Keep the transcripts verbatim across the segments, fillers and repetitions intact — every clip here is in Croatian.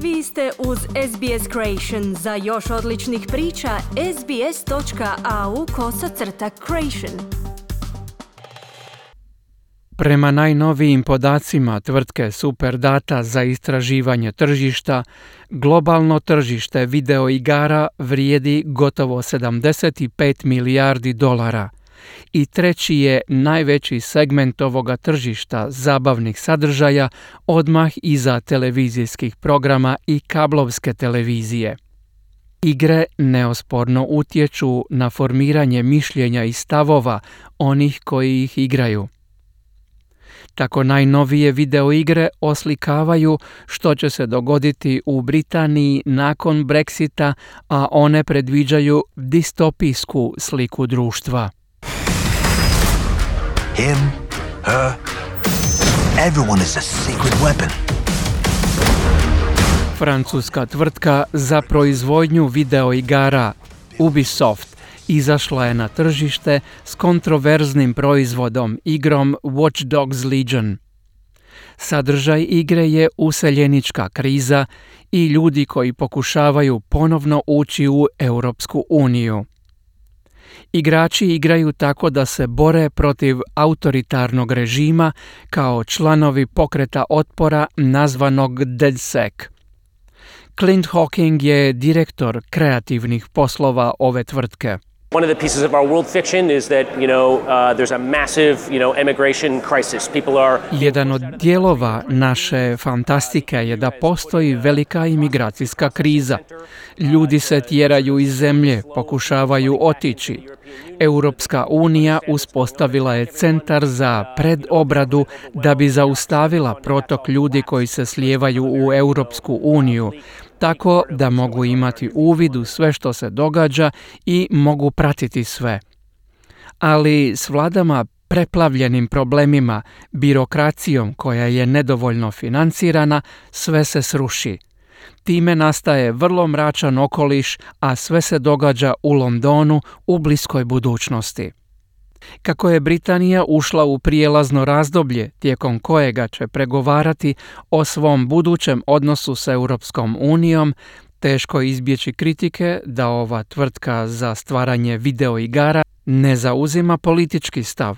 Vi ste uz S B S Creation. Za još odličnih priča, sbs.au kosacrta creation. Prema najnovijim podacima tvrtke Superdata za istraživanje tržišta, globalno tržište videoigara vrijedi gotovo sedamdeset pet milijardi dolara i treći je najveći segment ovoga tržišta zabavnih sadržaja odmah iza televizijskih programa i kablovske televizije. Igre neosporno utječu na formiranje mišljenja i stavova onih koji ih igraju. Tako najnovije videoigre oslikavaju što će se dogoditi u Britaniji nakon Brexita, a one predviđaju distopijsku sliku društva. Him, her, everyone is a secret weapon. Francuska tvrtka za proizvodnju videoigara Ubisoft izašla je na tržište s kontroverznim proizvodom, igrom Watch Dogs Legion. Sadržaj igre je useljenička kriza i ljudi koji pokušavaju ponovno ući u Europsku uniju. Igrači igraju tako da se bore protiv autoritarnog režima kao članovi pokreta otpora nazvanog DedSec. Clint Hawking je direktor kreativnih poslova ove tvrtke. One of the pieces of our world fiction is that, you know, uh, there's a massive, you know, immigration crisis. People are... Jedan od dijelova naše fantastike je da postoji velika imigracijska kriza. Ljudi se tjeraju iz zemlje, pokušavaju otići. Europska unija uspostavila je centar za predobradu da bi zaustavila protok ljudi koji se slijevaju u Europsku uniju, tako da mogu imati uvid u sve što se događa i mogu pratiti sve. Ali s vladama preplavljenim problemima, birokracijom koja je nedovoljno financirana, sve se sruši. Time nastaje vrlo mračan okoliš, a sve se događa u Londonu u bliskoj budućnosti. Kako je Britanija ušla u prijelazno razdoblje tijekom kojega će pregovarati o svom budućem odnosu s Europskom unijom, teško izbjeći kritike da ova tvrtka za stvaranje videoigara ne zauzima politički stav.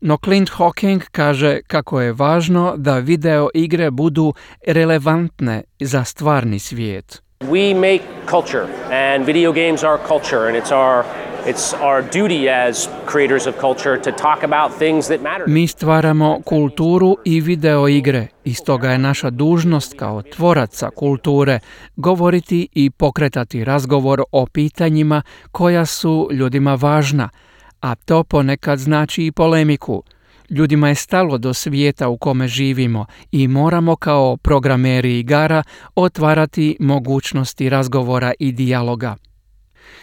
No Clint Hawking kaže kako je važno da video igre budu relevantne za stvarni svijet. We make culture and video games are culture and it's our It's our duty as creators of culture to talk about things that matter. Mi stvaramo kulturu i video igre i stoga je naša dužnost kao tvoraca kulture govoriti i pokretati razgovor o pitanjima koja su ljudima važna, a to ponekad znači i polemiku. Ljudima je stalo do svijeta u kome živimo i moramo kao programeri igara otvarati mogućnosti razgovora i dijaloga.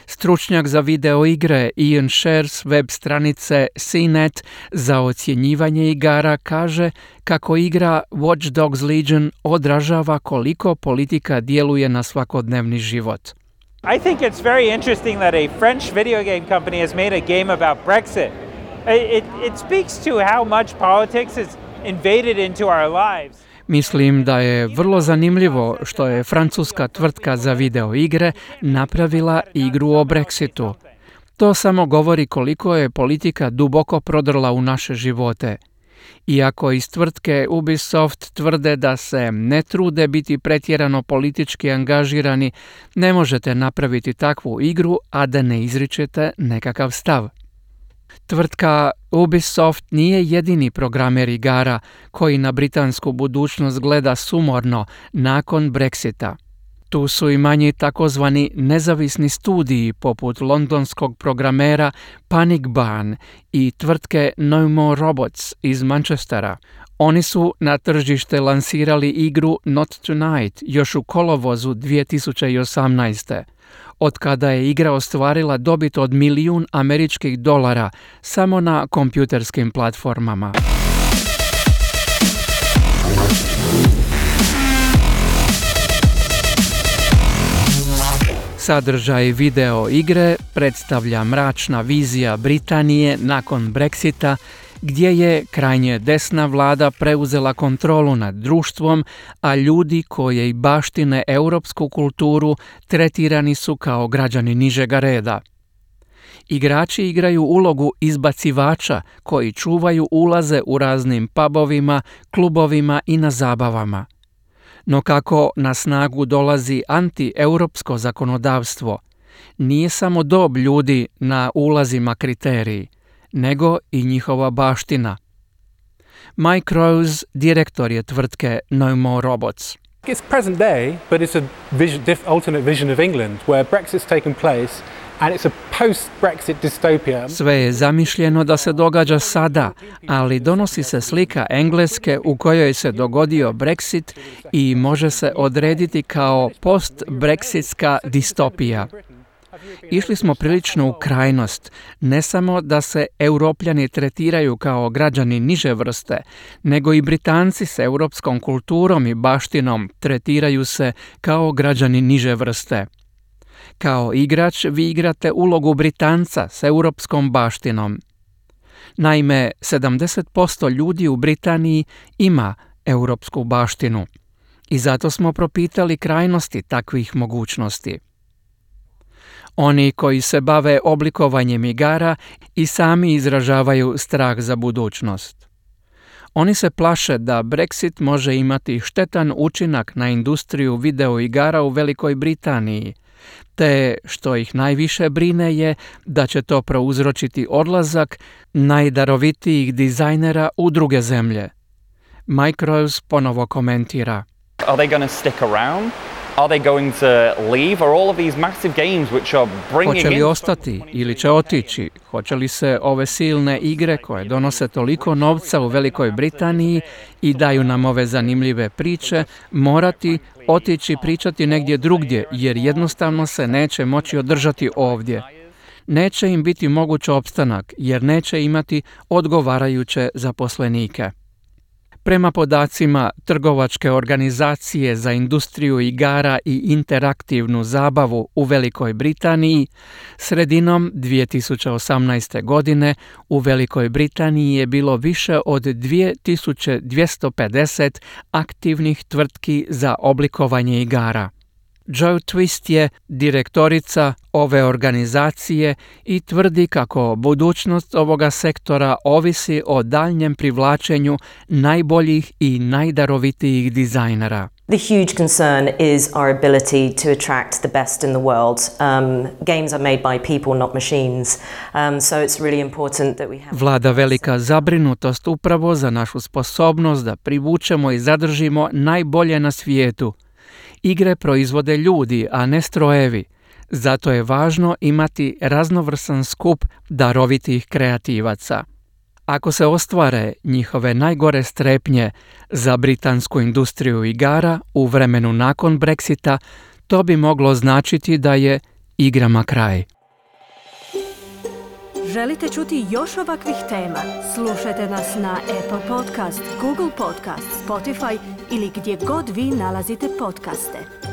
Stručnjak za video igre Ian Sher s web stranice C net za ocjenjivanje igara kaže kako igra Watch Dogs Legion odražava koliko politika djeluje na svakodnevni život. I think it's very interesting that a French video game company has made a game about Brexit. It, it speaks to how much politics has invaded into our lives. Mislim da je vrlo zanimljivo što je francuska tvrtka za video igre napravila igru o Brexitu. To samo govori koliko je politika duboko prodrla u naše živote. Iako iz tvrtke Ubisoft tvrde da se ne trude biti pretjerano politički angažirani, ne možete napraviti takvu igru, a da ne izričete nekakav stav. Tvrtka Ubisoft nije jedini programer igara koji na britansku budućnost gleda sumorno nakon Brexita. Tu su i manji takozvani nezavisni studiji poput londonskog programera Panic Barn i tvrtke No More Robots iz Manchestera. Oni su na tržište lansirali igru Not Tonight još u kolovozu dvije tisuće osamnaeste. Od kada je igra ostvarila dobit od milijun američkih dolara samo na kompjuterskim platformama. Sadržaj video igre predstavlja mračna vizija Britanije nakon Brexita gdje je krajnje desna vlada preuzela kontrolu nad društvom, a ljudi koji baštine europsku kulturu tretirani su kao građani nižega reda. Igrači igraju ulogu izbacivača koji čuvaju ulaze u raznim pubovima, klubovima i na zabavama. No kako na snagu dolazi anti-europsko zakonodavstvo, nije samo dob ljudi na ulazima kriteriji, nego i njihova baština. Mike Rose, direktor je tvrtke No More Robots. It's present day, but it's a vision, diff, alternate vision of England where Brexit's taken place and it's a post-Brexit dystopia. Sve je zamišljeno da se događa sada, ali donosi se slika Engleske u kojoj se dogodio Brexit i može se odrediti kao post-brexitska distopija. Išli smo prilično u krajnost, ne samo da se Europljani tretiraju kao građani niže vrste, nego i Britanci s europskom kulturom i baštinom tretiraju se kao građani niže vrste. Kao igrač vi igrate ulogu Britanca s europskom baštinom. Naime, sedamdeset posto ljudi u Britaniji ima europsku baštinu i zato smo propitali krajnosti takvih mogućnosti. Oni koji se bave oblikovanjem igara i sami izražavaju strah za budućnost. Oni se plaše da Brexit može imati štetan učinak na industriju videoigara u Velikoj Britaniji, te što ih najviše brine je da će to prouzročiti odlazak najdarovitijih dizajnera u druge zemlje. Mike Rose ponovo komentira. Are they going to stick around? Are they going to leave? Are all of these massive games which are bringing in... Hoće li ostati ili će otići? Hoće li se ove silne igre koje donose toliko novca u Velikoj Britaniji i daju nam ove zanimljive priče morati otići pričati negdje drugdje jer jednostavno se neće moći održati ovdje? Neće im biti moguć opstanak jer neće imati odgovarajuće zaposlenike. Prema podacima Trgovačke organizacije za industriju igara i interaktivnu zabavu u Velikoj Britaniji, sredinom dvije tisuće osamnaeste. godine u Velikoj Britaniji je bilo više od dvije tisuće dvjesto pedeset aktivnih tvrtki za oblikovanje igara. Joe Twist je direktorica ove organizacije i tvrdi kako budućnost ovoga sektora ovisi o daljnjem privlačenju najboljih i najdarovitijih dizajnera. The huge concern is our ability to attract the best in the world. Um, games are made by people, not machines. Um, so it's really important that we have... Vlada velika zabrinutost upravo za našu sposobnost da privučemo i zadržimo najbolje na svijetu. Igre proizvode ljudi, a ne strojevi. Zato je važno imati raznovrsan skup darovitih kreativaca. Ako se ostvare njihove najgore strepnje za britansku industriju igara u vremenu nakon Brexita, to bi moglo značiti da je igrama kraj. Želite čuti još ovakvih tema? Slušajte nas na Apple Podcast, Google Podcast, Spotify ili gdje god vi nalazite podcaste.